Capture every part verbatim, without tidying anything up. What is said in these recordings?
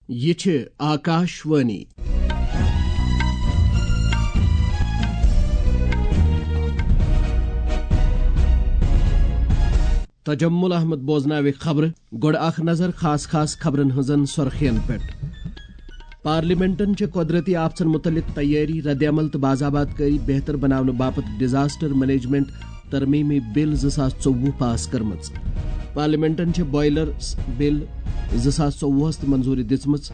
یہِ چھِ آکاش وانی۔ تجمل احمد بوزناوِ خبرٕ۔ گۄڈٕ اکھ نظر خاص خاص خبرن ہٕنٛزن سرخین پٮ۪ٹھ۔ پارلیمنٹن چھِ قۄدرتی آفژن مُتعلق تیٲری، رد عمل تہٕ باضابطہ کٲری بہتر بناونہٕ باپتھ ڈیزاسٹر مینجمنٹ ترمیمی بل زٕ ساس ژوٚوُہ پاس کٔرمٕژ۔ پارلیمنٹن چھِ بوائلر بل زٕ ساس ژوٚوُہس تہِ منظوری دِژمٕژ۔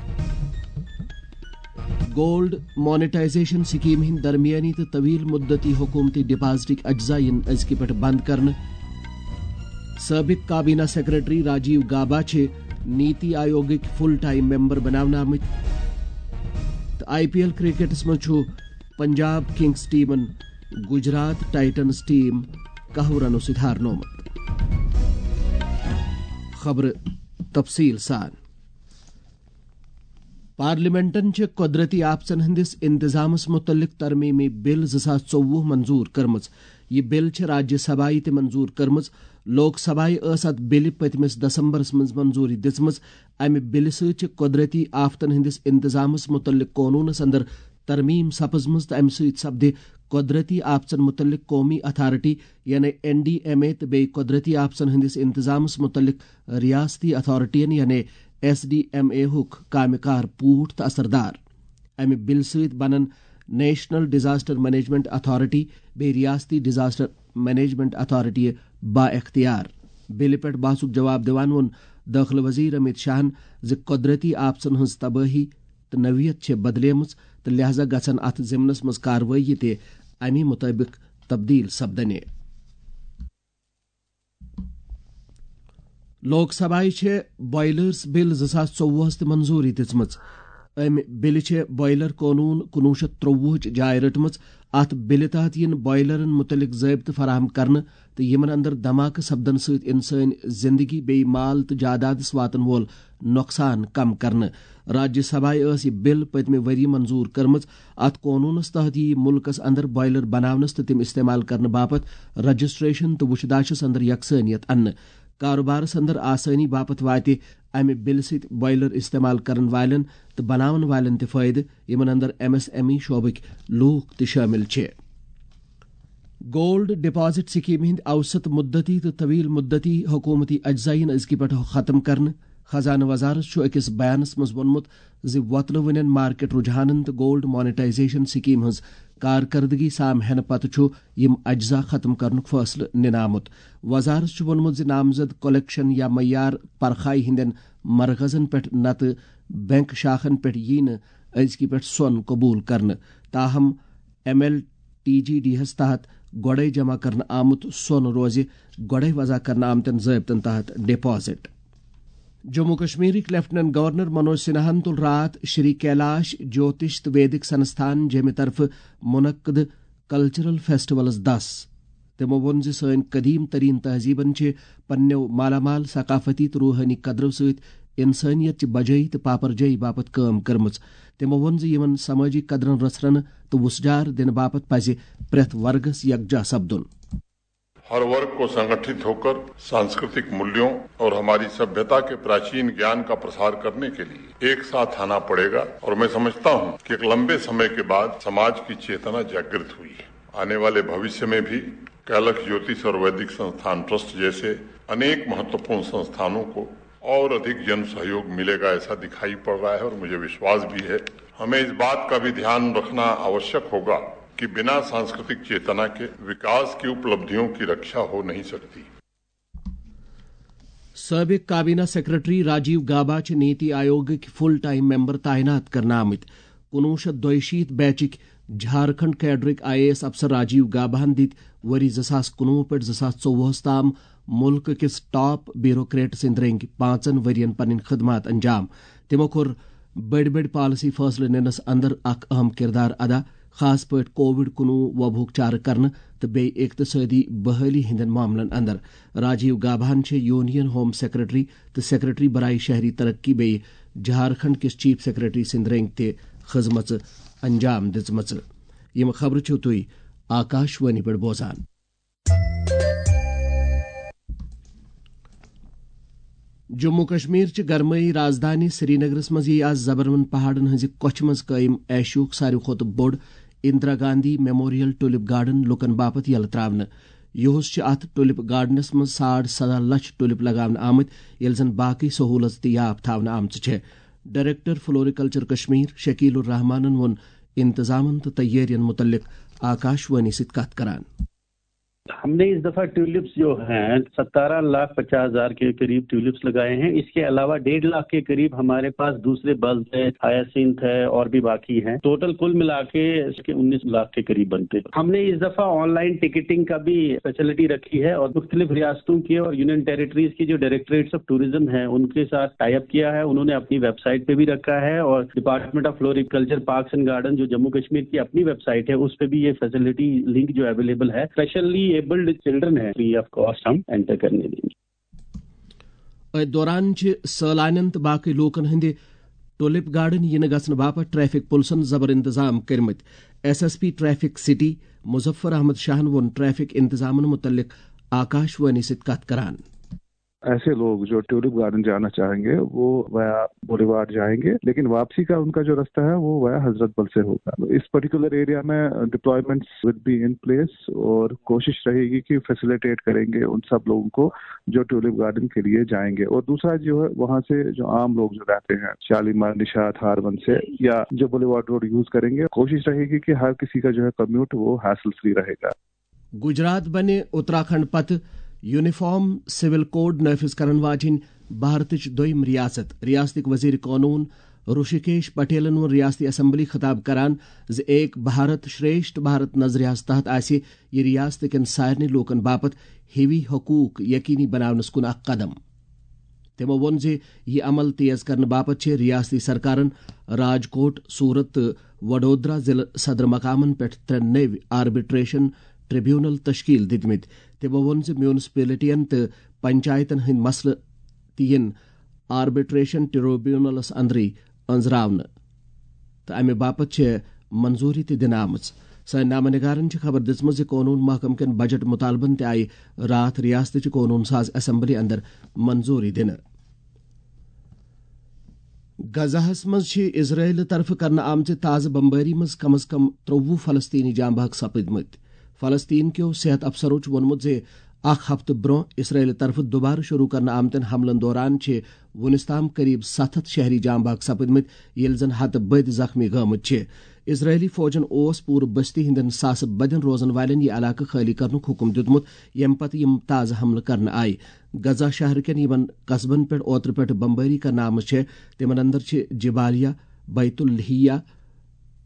گولڈ مانیٹائزیشن سکیم ہٕنٛدۍ درمیٲنی تہٕ طویل مدتی حکومتی ڈپازٹٕکۍ اجزا یِن أزکہِ پٮ۪ٹھ بند کرنہٕ۔ سٲبِق کابینہ سیکرٹری راجیو گابا چھِ نیتی آیوگٕکۍ فل ٹائم ممبر بناونہٕ آمٕتۍ۔ تہٕ آئی پی ایل کرکٹس منٛز چھُ پنجاب کنگز ٹیمن گجرات ٹائٹنز ٹیم کاہو رنو سۭتۍ ہارنومُت۔ خبرٕ تفصیل سان۔ پارلیمنٹن چھِ قۄدرتی آفژن ہٕنٛدِس انتظامس مُتعلق ترمیمی بل زٕ ساس ژوٚوُہ منظور کٔرمٕژ۔ یہِ بل چھِ راجیہ سبھایہِ تہِ منظور کٔرمٕژ۔ لوک سبھایہِ ٲس اتھ بلہِ پٔتمِس دسمبرس منٛز منظوری دِژمٕژ۔ امہِ بلہِ سۭتۍ چھِ قۄدرتی آفتن ہٕنٛدِس انتظامس مُتعلق قونوٗنس اندر ترمیم سپٕزمٕژ تہٕ امہِ سۭتۍ سپدِ قۄدرتی آفژن مُتعلق قومی اتھارٹی، یعنی این ڈی ایم اے، تہٕ بیٚیہِ قۄدرتی آفژن ہٕنٛدِس انتظامس مُتعلق ریاستی اتھارٹین، یعنی ایس ڈی ایم اے ہُک کامہِ کار پوٗٹھ تہٕ اثردار۔ امہِ بلہِ سۭتۍ بنن نیشنل ڈیزاسٹر مینجمنٹ اتھارٹی بیٚیہِ ریاستی ڈیزاسٹر مینجمنٹ اتھارٹی با اختیار۔ بلہِ پٮ۪ٹھ بحثُک جواب دِوان ووٚن دٲخلہٕ وزیر امیت شاہن زِ قۄدرتی آفژن ہٕنٛز تبٲہی تہٕ نوعیت چھےٚ بدلیمٕژ تہٕ لہذا گژھن اتھ ضمنس منٛز کاروٲیی تہِ امی مطٲبق تبدیل سپدنہِ۔ لوک سبھایہِ چھےٚ بوائلرز بل زٕ ساس ژوٚوُہس تہِ منظوری دِژمٕژ۔ امہِ بلہِ چھےٚ بوائلر قونوٗن کُنوُہ شیٚتھ ترٛوٚوُہٕچ جاے رٔٹمٕژ۔ اتھ بلہِ تحت یِن بوائلرن مُتعلق ضٲبطہٕ فراہم کرنہٕ تہٕ یِمن اندر دھماکہٕ سپدن سۭتۍ انسٲنۍ زندگی بیٚیہِ مال تہٕ جادادس واتن وول نۄقصان کم کرنہٕ۔ راجیہ سبھایہِ ٲس یہِ بل پٔتمہِ ؤری منظور کٔرمٕژ۔ اتھ قونوٗنس تحت یِیہِ مُلکس اندر بوائلر بناونس تہٕ تِم استعمال کرنہٕ باپتھ رجسٹریشن تہٕ وُچھداشس اندر یکسٲنیت اننہٕ۔ کاروبارس اندر آسٲنی باپتھ واتہِ امہِ بلہِ سۭتۍ بوائلر استعمال کرن والٮ۪ن تہٕ بناون والٮ۪ن تہِ فٲیدٕ، یِمن اندر ایم ایس ایم ای شعبٕکۍ لوٗکھ تہِ شٲمِل چھِ۔ گولڈ ڈپازٹ سکیمہِ ہٕنٛدۍ اوسط مدتی تہٕ طویل مدتی حکومتی اجزا یِن أزکہِ پٮ۪ٹھ ختم کرنہٕ۔ خزانہٕ وزارت چھُ أکِس بیانس منٛز ووٚنمُت زِ وۄتلہٕ وٕنٮ۪ن مارکیٹ رجحانن تہٕ گولڈ مانیٹائزیشن سکیمہِ ہٕنٛز کارکردگی سام ہینہٕ پتہٕ چھُ یِم اجزا ختم کرنُک فٲصلہٕ نِنہٕ آمُت۔ وزارت چھُ ووٚنمُت زِ نامزد کلیکشن یا معیار پرخایہِ ہٕنٛدٮ۪ن مرکزن پٮ۪ٹھ نتہٕ بینک شاخن پٮ۪ٹھ یِیہِ نہٕ أزکہِ پٮ۪ٹھ سۄن قبول کرنہٕ، تاہم M L T G D ہس تحت گۄڈے جمع کرنہٕ آمُت سۄن روزِ گۄڈے وضع کرنہٕ آمتٮ۪ن ضٲبطن تحت ڈپازٹ۔ جموں کشمیرٕکۍ لیفٹیننٹ گورنر منوج سنہاہن تُل راتھ شری کیلاش جوتش تہٕ ویدک سنستھان جیمہِ طرفہٕ منعقد کلچرل فیسٹیولس دس۔ تِمو ووٚن زِ سٲنۍ قدیم ترین تہذیبن چھِ پننٮ۪و مالا مال ثقافتی تہٕ روحٲنی قدرو سۭتۍ انسٲنیت چہِ بجٲیی تہٕ پاپرجٲیی باپتھ کٲم کٔرمٕژ۔ تِمو ووٚن زِ یِمن سمٲجی قدرن رژھرنہٕ تہٕ وُژھ جار دِنہٕ باپتھ پزِ پرٛٮ۪تھ ورگس یکجاہ سپدُن۔ हर वर्ग को संगठित होकर सांस्कृतिक मूल्यों और हमारी सभ्यता के प्राचीन ज्ञान का प्रसार करने के लिए एक साथ आना पड़ेगा और मैं समझता हूं कि एक लंबे समय के बाद समाज की चेतना जागृत हुई है। आने वाले भविष्य में भी कैलक्ष ज्योतिष और वैदिक संस्थान ट्रस्ट जैसे अनेक महत्वपूर्ण संस्थानों को और अधिक जन सहयोग मिलेगा, ऐसा दिखाई पड़ रहा है और मुझे विश्वास भी है। हमें इस बात का भी ध्यान रखना आवश्यक होगा कि बिना सांस्कृतिक चेतना के विकास की उपलब्धियों की रक्षा हो नहीं सकती। سٲبِق کابینہ سیکرٹری راجیو گابا چھِ نیتی آیوگٕکۍ فل ٹائم ممبر تعینات کرنہٕ آمٕتۍ۔ کُنوُہ شیٚتھ دۄیہِ شیٖتھ بیچٕکۍ جھارکھنڈ کیڈرٕکۍ آئی اے ایس افسر راجیو گاباہن دِتۍ ؤری زٕ ساس کُنوُہ پٮ۪ٹھ زٕ ساس ژوٚوُہس تام مُلکہٕ کِس ٹاپ بیوروکریٹ سٕنٛدۍ رٔنٛگۍ پانٛژن ؤرین پنٕنۍ خدمات انجام۔ تِمو کوٚر بٔڑۍ بٔڑۍ پالیسی فٲصلہٕ نِنس اندر اکھ اہم کردار ادا، خاص پٲٹھۍ کووڈ کُنوُہ وبہُک چارٕ کرنہٕ تہٕ بیٚیہِ اقتصٲدی بحٲلی ہٕنٛدٮ۪ن معاملن اندر۔ راجیو گاباہن چھِ یونین ہوم سیکرٹری تہٕ سیکرٹری برائے شہری ترقی بیٚیہِ جھارکھنڈ کِس چیف سیکرٹری سٕنٛدۍ رٔنٛگۍ تہِ خدمژٕ انجام دِژمٕژٕ۔ یِم خبرٕ چھِو تُہۍ آکاش وانی پٮ۪ٹھ بوزان۔ جموں کشمیر چہِ گرمٲیی رازدانی سرینگرس منٛز یِیہِ آز زبروَن پہاڑن ہٕنٛزِ کۄچھِ منٛز قٲیِم ایشیاہُک ساروی کھۄتہٕ بوٚڑ Indira Gandhi memorial tulip garden لوٗکن باپتھ یلہٕ ترٛاونہٕ۔ یُہُس چھِ اتھ ٹولپ گارڈنس منٛز ساڑ سداہ لچھ ٹولپ لگاونہٕ آمٕتۍ، ییٚلہِ زن باقٕے سہوٗلژ تہِ یاپ تھاونہٕ آمژٕ چھےٚ۔ ڈائریکٹر فلوریکلچر کشمیر شکیل الرحمانن ووٚن انتظامن تہٕ تیٲرین متعلق آکاشوانی سۭتۍ کتھ کران۔ ہم نے اس دفعہ ٹیولپس جو ہیں، ستارہ لاکھ پچاس ہزار کے قریب ٹیولپس لگائے ہیں۔ اس کے علاوہ ڈیڑھ لاکھ کے قریب ہمارے پاس دوسرے بلب ہے، ہیاسینتھ ہے اور بھی باقی ہیں۔ ٹوٹل کل ملا کے اس کے انیس لاکھ کے قریب بنتے ہیں۔ ہم نے اس دفعہ آن لائن ٹکٹنگ کا بھی فیسلٹی رکھی ہے اور مختلف ریاستوں کے اور یونین ٹیریٹریز کے جو ڈائریکٹریٹس آف ٹورزم ہیں، ان کے ساتھ ٹائی اپ کیا ہے۔ انہوں نے اپنی ویب سائٹ پہ بھی رکھا ہے اور department of floriculture parks and garden جو جموں کشمیر کی اپنی ویب سائٹ ہے، اس پہ بھی یہ فیسلٹی لنک جو اویلیبل ہے، اسپیشلی ایبلڈ چلڈرن ہے، فری آف کاسٹ ہم انٹر کرنے دیں گے۔ أتھۍ دوران چھِ سٲلانٮ۪ن تہٕ باقٕے لوٗکَن ہٕنٛدِ ٹولپ گارڈن یِنہٕ گژھنہٕ باپتھ ٹریفک پُلسَن زبر انتظام کٔرمٕتۍ۔ S S P traffic city Muzaffar Ahmad شاہَن ووٚن ٹریفک انتظامَن مُتعلق آکاشوانی سۭتۍ کتھ کران۔ ایسے لوگ جو ٹیولپ گارڈن جانا چاہیں گے، وہ ویا بولیوارڈ جائیں گے، لیکن واپسی کا ان کا جو رستہ ہے، وہ ویا حضرت بل سے ہوگا۔ اس پرٹیکولر ایریا میں ڈپلائمنٹس ول بی ان پلیس اور کوشش رہے گی کہ فیسیلیٹیٹ کریں گے ان سب لوگوں کو جو ٹیولپ گارڈن کے لیے جائیں گے۔ اور دوسرا جو ہے، وہاں سے جو عام لوگ جو رہتے ہیں شالیمار، نشاط، ہارون سے، یا جو بولیوارڈ روڈ یوز کریں گے، کوشش رہے گی کہ ہر کسی کا جو ہے کمیوٹ وہ ہیسل فری رہے گا۔ گجرات بنہِ اتراکھنڈ پتہٕ یونیفارم سول کوڈ نافذ کرن واجنۍ بھارتٕچ دوٚیِم ریاست۔ ریاستٕکۍ وزیر قونوٗن رشیکیش پٹیلن ووٚن ریاستی اسمبلی خطاب کران زِ ایک بھارت شریشٹھ بھارت نظریہس تحت آسہِ یہِ ریاست کٮ۪ن سارنٕے لوٗکن باپتھ ہِوی حقوٗق یقینی بناونس کُن اکھ قدم۔ تِمو ووٚن زِ یہِ عمل تیز کرنہٕ باپتھ چھِ ریاستی سرکارن راجکوٹ، سورت تہٕ وڈودرا ضلعہٕ صدر مقامن پٮ۪ٹھ ترٛےٚ نٔوۍ آربٹریشن ٹریبیونل تشکیل دِتمٕتۍ۔ تِمو ووٚن زِ میونسپلٹین تہٕ پنچایتن ہٕنٛدۍ مسلہٕ تہِ یِن آربٹریشن ٹریبیونلس اندرٕے أنٛزراونہٕ تہٕ امہِ باپتھ چھےٚ منظوری تہِ دِنہٕ آمٕژ۔ سٲنۍ نامہ نگارن چھِ خبر دِژمٕژ زِ قونوٗن محکمہٕ کٮ۪ن بجٹ مطالبن تہِ آیہِ راتھ ریاستٕچہِ قونوٗن ساز اسمبلی اندر منظوری دِنہٕ۔ غزہس منٛز چھِ اسرائیل طرفہٕ کرنہٕ آمژِ تازٕ بمبٲری منٛز کم از کم ترٛوٚوُہ فلسطینی جاں بحق سپٕدمٕتۍ۔ فلسطین کیو صحت افسرو چھُ ووٚنمُت زِ اکھ ہفتہٕ برونٛہہ اسرائیل طرفہٕ دوبارٕ شروع کرنہٕ آمتٮ۪ن حملن دوران چھِ وُنِس تام قریب ستھ ہتھ شہری جاں بحق سپٕدمٕتۍ، ییٚلہِ زن ہتہٕ بٔدۍ زخمی گٲمٕتۍ چھِ۔ اسرائیلی فوجن اوس پوٗرٕ بستی ہٕنٛدٮ۪ن ساسہٕ بدٮ۪ن روزن والٮ۪ن یہِ علاقہٕ خٲلی کرنُک حکم دیُتمُت، ییٚمہِ پتہٕ یِم تازٕ حملہٕ کرنہٕ آیہِ۔ غزہ شہر کٮ۪ن یِمن قصبن پٮ۪ٹھ اوترٕ پٮ۪ٹھ بمبٲری کرنہٕ آمٕژ چھےٚ، تِمن اندر چھِ جبالیہ، بیت اللحیہ،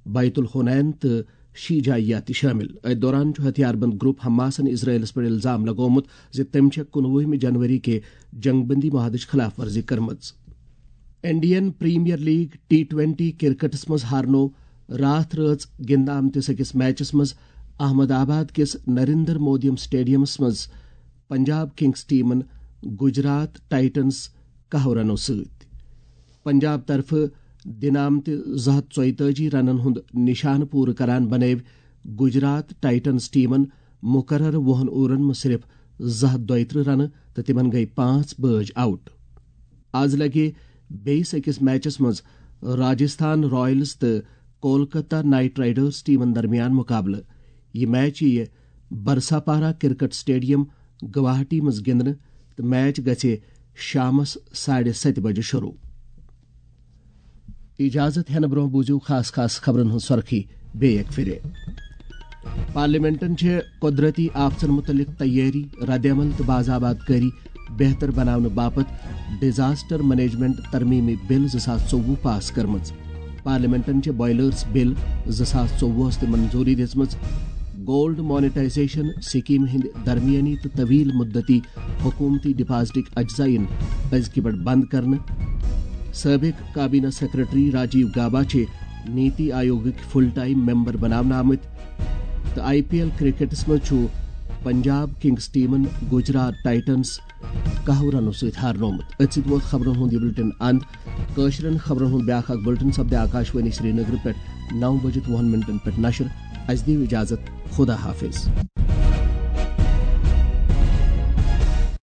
بیت الحنین تہٕ شیجایہ تہِ شٲمِل۔ أتھۍ دوران چھُ ہتھیار بند گروپ حماسن اسرائیلس پٮ۪ٹھ الزام لگومُت زِ تٔمۍ چھےٚ کُنوُہمہِ جنوری کہِ جنگ بندی معاہدٕچ خلاف ورزی کٔرمٕژ۔ Indian Premier League T twenty کرکٹس منٛز ہارنوو راتھ رٲژ گِنٛدنہٕ آمتِس أکِس میچس منٛز احمد آباد کِس نریندر مودیم سٹیڈیمس منٛز پنجاب کنگز ٹیمن گجرات ٹائٹنز کاہو رنو سۭتۍ۔ پنجاب طرفہٕ دِنہٕ آمتہِ زٕ ہتھ ژۄیتٲجی رنن ہُنٛد نشانہٕ پوٗرٕ کران بنٲوۍ گجرات ٹائٹنز ٹیمن مقررٕ وُہن اوورن منٛز صرف زٕ ہتھ دۄیترٕہ رنہٕ تہٕ تِمن گٔیہِ پانٛژھ بٲج آؤٹ۔ آز لگہِ بیٚیِس أکِس میچس منٛز راجستھان رائلز تہٕ کولکتہ نائٹ رائیڈرز ٹیمن درمیان مقابلہٕ۔ یہِ میچ یِیہِ برساپارا کرکٹ سٹیڈیم گواہاٹی منٛز گِنٛدنہٕ تہٕ میچ گژھِ شامس ساڑِ ستہِ بجہِ شروع۔ اجازت ہینہٕ برونٛہہ بوٗزِو خاص خاص خبرن ہٕنٛز سۄرخی بیٚیہِ اکہِ پھِرِ۔ پارلیمنٹن چھِ قدرتی آفژن مُتعلق تیٲری، ردعمل تہٕ باضابطہ کٲری بہتر بناونہٕ باپتھ ڈیزاسٹر مینجمنٹ ترمیمی بل زٕ ساس ژوٚوُہ پاس کٔرمٕژ۔ پارلیمنٹن چھِ بوائلرز بل زٕ ساس ژوٚوُہس تہِ منظوری دِژمٕژ۔ گولڈ مانیٹائزیشن سکیمہِ ہٕنٛدِ درمیٲنی تہٕ طویل مدتی حکومتی ڈپازٹٕکۍ اجزا یِن أزکہِ پٮ۪ٹھ بند کرنہٕ۔ سٲبق کابینہ سیکرٹری راجیو گابا چھِ نیتی آیوگٕکۍ فل ٹائم ممبر بناونہٕ آمٕتۍ۔ تہٕ آئی پی ایل کرکٹس منٛز چھُ پنجاب کنگز ٹیمن گجرات ٹائٹنز کاہو رنو سۭتۍ ہارنومُت۔ أتھۍ سۭتۍ ووت خبرن ہُنٛد یہِ بُلٹن اند۔ کٲشرٮ۪ن خبرن ہُنٛد بیٛاکھ اکھ بُلٹن سپدِ آکاشوانی سرینگرٕ پٮ۪ٹھ نو بجِتھ وُہن منٹن پٮ۪ٹھ نشر۔ اسہِ دِیِو اجازت۔ خدا حافظ۔